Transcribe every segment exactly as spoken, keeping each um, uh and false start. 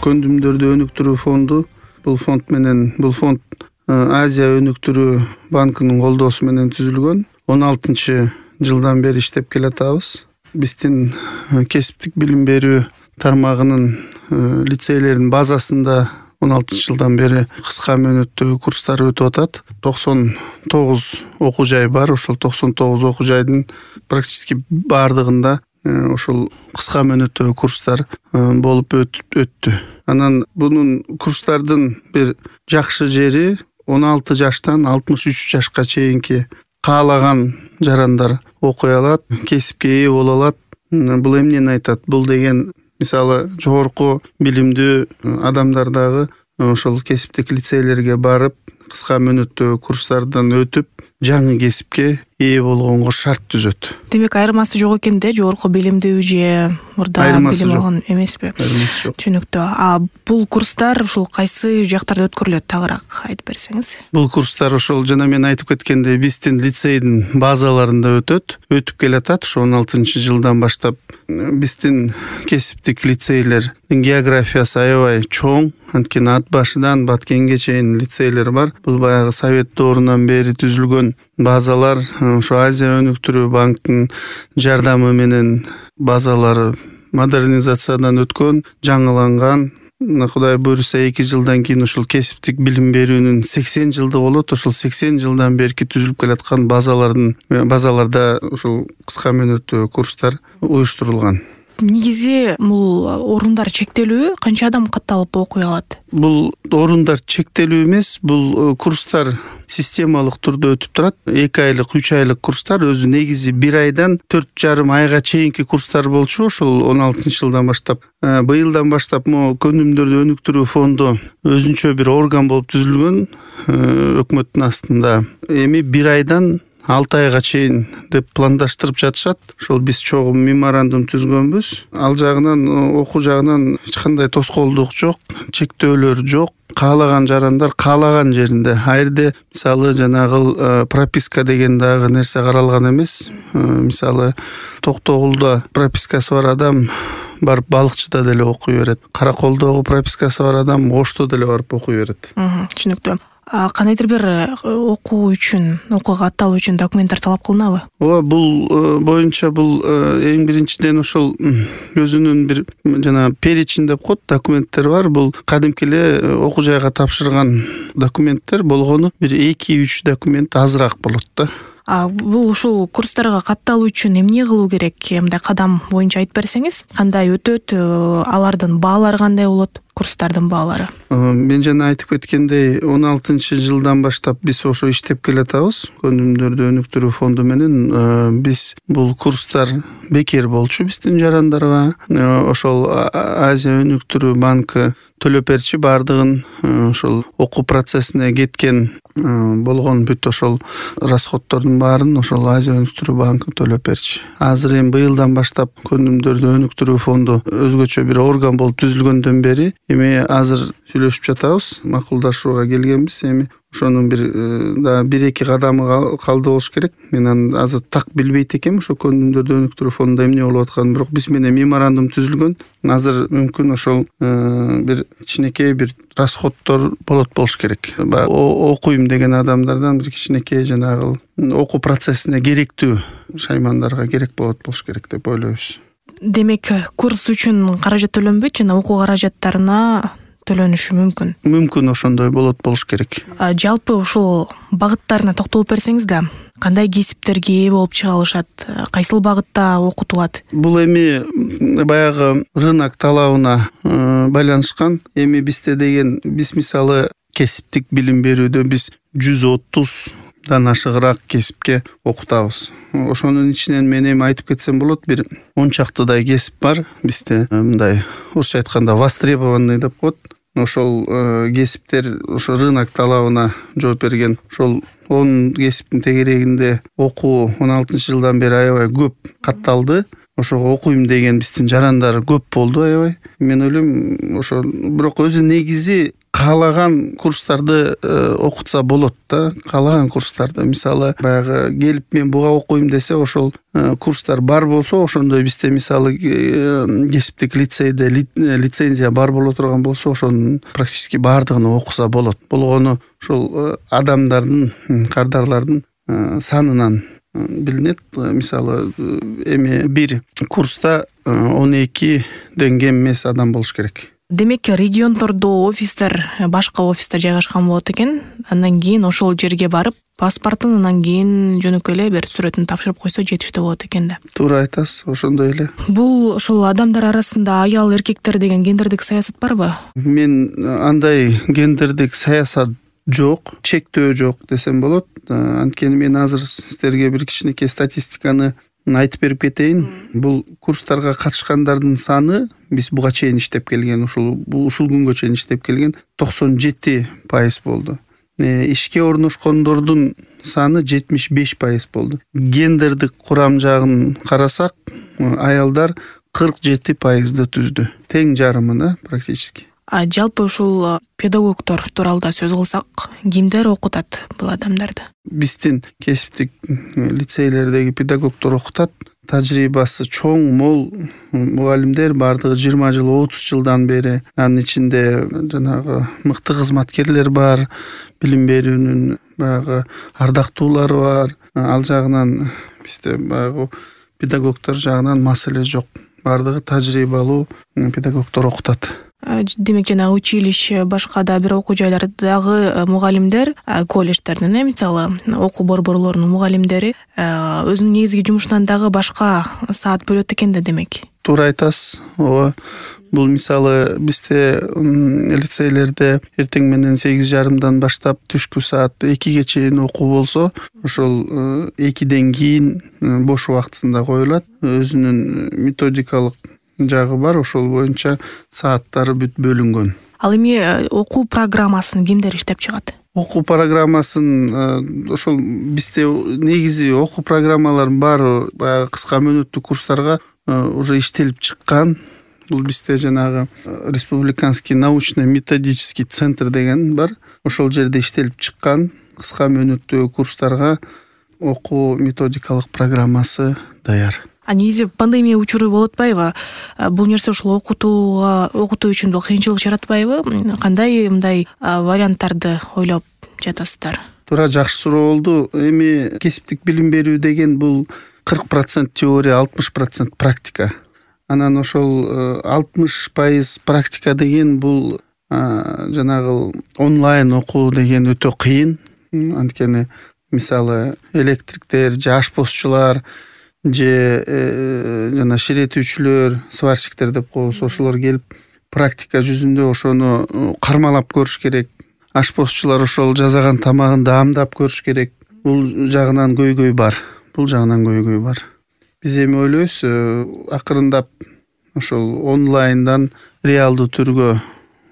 көндүмдөрдү өнүктүрүү фонду. Бул фонд менен бул фонд Азия өнүктүрүү банкынын колдоосу менен түзүлгөн. он алтынчы жылдан бери иштеп келатабыз. Биздин кесиптик билим берүү тармагынын лицейлердин базасында он алтынчы жылдан бери кыска мөөнөттөгү курстар өтүп атат. токсон тогуз окуу жай бар. Ошол токсон тогуз окуу жайдын практически баардыгында ошол кыска мөөнөттөгү курстар болуп өттү. Анан бунун курстардын бир жакшы жери он алты жаштан алтымыш үч жашка чейинки каалаган жарандар окуй алат, кесипке ээ боло алат. Бул эмнени айтат? Бул деген мисалы жогорку билимдүү адамдар дагы ошол кесиптик лицейлерге барып, кыска мөөнөттөгү курстардан өтүп, жаңы кесипке ээ болгонго шарт түзөт. Демек айырмасы жок экен да, жогорку билимдүү же мурда билим алган эмеспи? Айырмасы жок. Түшүнүктүү. А бул курстар ушул кайсы жактарда өткөрүлөт, тагыраак айтып берсеңиз? Бул курстар ошол жана мен айтып кеткендей биздин лицейдин базаларында өтөт, өтүп келатат. Ошо он алтынчы жылдан баштап биздин кесиптик лицейлердин географиясы аябай чоң. Анткени ат башыдан Баткенге чейин лицейлер бар. Бул баягы Совет доорунан бери түзүлгөн базалар. Ошо Азия өнүктүрүү банкынын жардамы менен базалары модернизациядан өткөн, жаңыланган. Кудай буйруса эки жылдан кийин ушул кесиптик билим берүүнүн сексен жылдыгы болот. Ошол сексен жылдан берки түзүлүп келаткан базалардын базаларда ушул кыска мөөнөттөгү курстар уюштурулган. Негизи бул орундар чектелүү, канча адам катталып окуй алат? Бул орундар чектелүү эмес, бул курстар системалык турда өтүп турат. эки айлык, үч айлык курстар өзү негизи бир айдан төрт жарым айга чейинки курстар болчу. Ошол он алтынчы жылдан баштап, быйылдан баштап могу көндүмдөрдү өнүктүрүү фонду өзүнчө бир орган болуп түзүлгөн, өкмөттүн астында. Эми бир айдан алты айга чейин деп пландаштырып жатышат. Ошол биз чогуу меморандум түзгөнбүз. Ал жагынан, окуу жагынан эч кандай тоскоолдук жок, чектөөлөр жок. Каалаган жарандар каалаган жеринде. Айрде мисалы жанагы прописка деген дагы нерсе каралган эмес. Мисалы Токтогулда пропискасы бар адам барып балыкчыда деле окуй берет. Караколдогу пропискасы бар адам Ошто деле барып окуй берет. Түшүнүктүү. Кандайдыр бир окуу үчүн, окууга атталуу үчүн документтер талап кылынабы? Ооба, бул боюнча бул эң биринчиден ошол өзүнүн бир жана перечень деп коет, документтер бар. Бул кадимки эле окуу жайга тапшырган документтер болгону бир эки үч документ азыраак болот да. А бул ушул курстарга катталуу үчүн эмне кылуу керек? Мындай кадам боюнча айтып берсеңиз, кандай өтөт, алардын баалары кандай болот? Курстардын баалары. Мен жана айтып кеткендей, он алтынчы жылдан баштап биз ошо иштеп келатабыз. Көндүмдөрдү өнүктүрүү фонду менен биз бул курстар бекер болчу биздин жарандарга. Ошол Азия өнүктүрүү банкы төлөп берчи баардыгын, ошол окуу процессине кеткен болгон бүт ошол расходтордун баарын ошол Азия өнүктүрүү банкы төлөп берчи. Азыр эми быйылдан баштап көндүмдөрдү өнүктүрүү фонду өзгөчө бир орган болуп түзүлгөндөн бери эми азыр сүйлөшүп жатабыз, макулдашууга келгенбиз. Эми ошонун бир да бир эки кадамы калды болуш керек. Мен аны азыр так билбейт экенмин, ошо көндүмдөрдү өнүктүрүү фондунда эмне болуп атканын, бирок биз менен меморандум түзүлгөн. Азыр мүмкүн ошол бир кичинекей бир расходтор болот болуш керек. Окуйм деген адамдардан бир кичинекей жанагы окуу процессине керектүү шаймандарга керек болот болуш керек деп ойлойбуз. Демек, курс үчүн каражат төлөнбөйт, жана окуу каражаттарына төлөнүшү мүмкүн. Мүмкүн ошондой болот болуш керек. Жалпы ушул багыттарына токтолуп берсеңиз да, кандай кесиптерге ээ болуп чыга алышат, кайсыл багытта окутулат? Бул эми баягы рынок талабына байланышкан. Эми бизде деген биз мисалы кесиптик билим берүүдө биз жүз отуздан ашыгыраак кесипке окутабыз. Ошонун ичинен мен эми айтып кетсем болот, бир он чактыдай кесип бар бизде. Мындай орусча айтканда востребованный деп коет. Ошол кесиптер ошо рынок талабына жооп берген. Ошол он кесиптин тегерегинде окуу он алтынчы жылдан бери аябай көп катталды. Ошого окуйм деген биздин жарандар көп болду аябай. Мен ойлойм, ошо бирок өзү негизи каалаган курстарды окутса болот да, каалаган курстарды. Мисалы баягы келип мен буга окуйм десе, ошол курстар бар болсо, ошондой бизде мисалы кесиптик лицейде лицензия бар боло турган болсо, ошонун практически баардыгын окуса болот. Болгону ушул адамдардын, кардарлардын санынан билинет. Мисалы эми бир курста он экиден кем эмес адам болуш керек. Демек, региондордо офистер, башка офистер жайгашкан болот экен. Андан кийин ошол жерге барып, паспортун, андан кийин жөнөкөй эле бир сүрөтүн тапшырып койсо жетиштүү болот экен да. Туура айтасыз, ошондой эле. Бул ошол адамдар арасында аял эркектер деген гендердик саясат барбы? Мен андай гендердик саясат жок, чектөө жок десем болот. Анткени мен азыр сиздерге бир кичинекей статистиканы айтып берип кетейин. Бул курстарга катышкандардын саны биз буга чейин иштеп келген, ушул ушул күнгө чейин иштеп келген токсон жети пайыз болду. Ишке орношкондордун саны жетимиш беш пайыз болду. Гендердик курам жагын карасак, аялдар кырк жети пайызды түздү. Тең жарымына практически. А жалпы ушул педагогдор тууралуу да сөз кылсак, кимдер окутат бул адамдарды? Биздин кесиптик лицейлердеги педагогдор окутат. Тажрыйбасы чоң, мол мугалимдер, бардыгы жыйырма жыл, отуз жылдан бери. Анын ичинде жанагы мыкты кызматкерлер бар, билим берүүнүн баягы ардактуулары бар. Ал жагынан бизде баягы педагогдор жагынан маселе жок. Бардыгы тажрыйбалуу педагогдор окутат. Демек, жанагы училище, башка да бир окуу жайлардагы мугалимдер, колледждердин, мисалы, окуу борборлорунун мугалимдери өзүнүн негизги жумушунан дагы башка саат бөлөт экен да, демек. Туура айтасыз. Ооба. Бул мисалы бизде лицейлерде эртең менен сегиз жарымдан баштап түшкү саат экиге чейин окуу болсо, ошол экиден кийин бош убактысында коюлат. Өзүнүн методикалык жагы бар, ошол боюнча сааттары бүт бөлүнгөн. Ал эми окуу программасын кимдер иштеп чыгат? Окуу программасын ошол бизде негизи окуу программалар бар, баягы кыска мөөнөттүү курстарга уже иштелип чыккан. Бул бизде жанагы республиканский научно-методический центр деген бар. Ошол жерде иштелип чыккан кыска мөөнөттүү курстарга окуу методикалык программасы даяр. А негизи пандемия учуру болуп атпайбы? Бул нерсе ушул окутууга, окутуу үчүн кыйынчылык жаратпайбы? Кандай мындай варианттарды ойлоп жатасыздар? Туура, жакшы суроо болду. Эми кесиптик билим берүү деген бул кырк процент теория, алтымыш процент практика. Анан ошол алтымыш пайыз практика деген бул жанагы онлайн окуу деген өтө кыйын. Анткени мисалы электриктер, же ашпозчулар, же жана ширетүүчүлөр, сварщиктер деп коебуз, ошолор келип практика жүзүндө ошону кармалап көрүш керек. Ашпозчулар ошол жасаган тамагын даамдап көрүш керек. Бул жагынан көйгөй бар. Бул жагынан көйгөй бар. Биз эми ойлойбуз, акырындап ошол онлайндан реалдуу түргө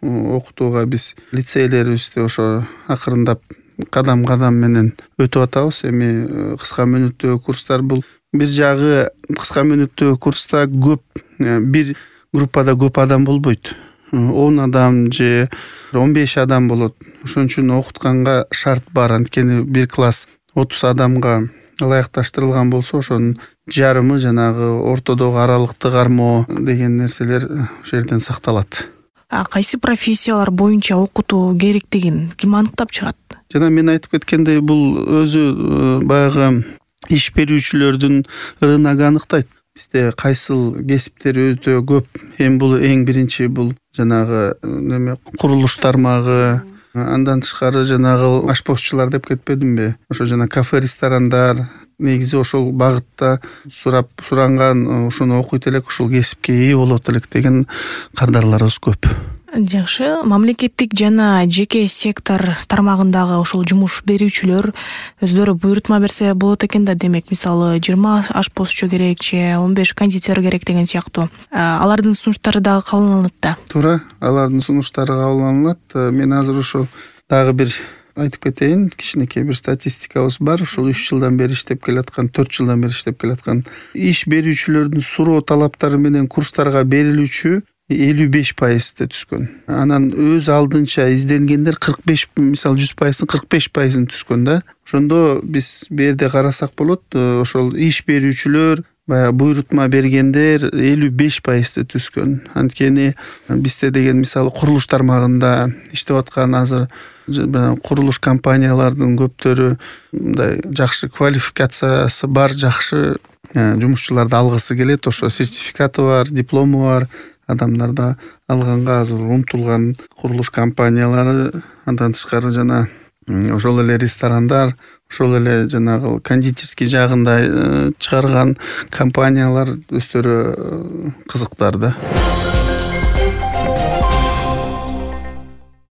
окутууга биз лицейлерибизде ошо акырындап кадам-кадам менен өтүп атабыз. Эми кыска мөөнөттүү курстар бул бир жагы кыска мөөнөттүү курста көп, бир группада көп адам болбойт. он адам же он беш адам болот. Ошон үчүн окутканга шарт бар. Анткени бир класс отуз адамга ылайыкташтырылган болсо, ошонун жарымы жанагы ортодогу аралыкты кармоо деген нерселер ошол жерден сакталат. А кайсы профессиялар боюнча окутуу керектигин ким аныктап чыгат? Жана мен айтып кеткендей, бул өзү баягы иш берүүчүлөрдүн рыногу аныктайт. Бизде кайсыл кесиптер өтө көп. Эми бул эң биринчи бул жанагы неме курулуш тармагы, андан тышкары жанагы ашпозчулар деп кетпедимби? Ошо жана кафе, ресторандар, негизи ошол багытта сурап суранган, ошону окуйт элек, ушул кесипке ээ болот элек деген кардарларыбыз көп. Жакшы. Мамлекеттик жана жеке сектор тармагындагы ошол жумуш берүүчүлөр өздөрү буйрутма берсе болот экен да, демек, мисалы жыйырма ашпозчу керек же он беш кондитер керек деген сыяктуу. Алардын сунуштары дагы кабыл алынат да. Туура, алардын сунуштары кабыл алынат. Мен азыр ошо дагы бир айтып кетейин, кичинекей бир статистикабыз бар. Ушул үч жылдан бери иштеп келаткан, төрт жылдан бери иштеп келаткан иш берүүчүлөрдүн суроо талаптары менен курстарга берилүүчү элүү беш пайызды түзгөн. Анан өз алдынча изденгендер кырк беш, мисалы жүз пайыздын кырк беш пайызын түзгөн да. Ошондо биз бу жерде карасак болот, ошол иш берүүчүлөр, баягы буйрутма бергендер элүү беш пайызды түзгөн. Анткени бизде деген мисалы курулуш тармагында иштеп аткан азыр курулуш компаниялардын көптөрү мындай жакшы квалификациясы бар, жакшы жумушчуларды алгысы келет. Ошо сертификаты бар, диплому бар адамдарда алганга азыр умтулган курулуш компаниялары. Андан тышкары жана ошол эле ресторандар, ошол эле жанагы кондитерский жагында чыгарган компаниялар өздөрү кызыктар да.